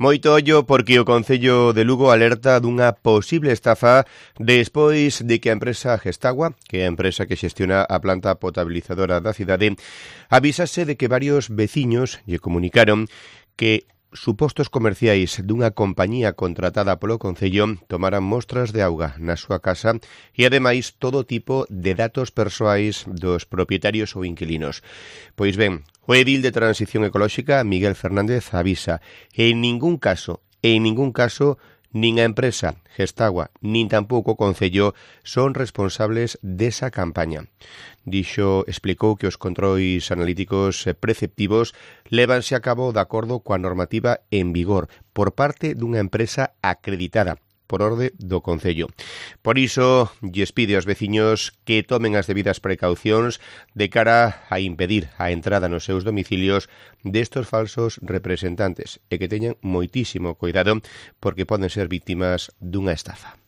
Moito ollo porque o Concello de Lugo alerta dunha posible estafa despois de que a empresa Gestagua, que é a empresa que xestiona a planta potabilizadora da cidade, avisase de que varios veciños lle comunicaron que supostos comerciais dunha compañía contratada polo Concello tomaran mostras de auga na súa casa e, ademais, todo tipo de datos persoais dos propietarios ou inquilinos. Pois ben, o edil de Transición Ecolóxica, Miguel Fernández, avisa en ningún caso, nin a empresa Gestagua, nin tampouco o Concello son responsables desa campaña. Explicou que os controis analíticos preceptivos lévanse a cabo de acordo coa normativa en vigor por parte dunha empresa acreditada por orde do Concello. Por iso, lles pide aos veciños que tomen as debidas precaucións de cara a impedir a entrada nos seus domicilios destos falsos representantes e que teñan moitísimo cuidado porque poden ser víctimas dunha estafa.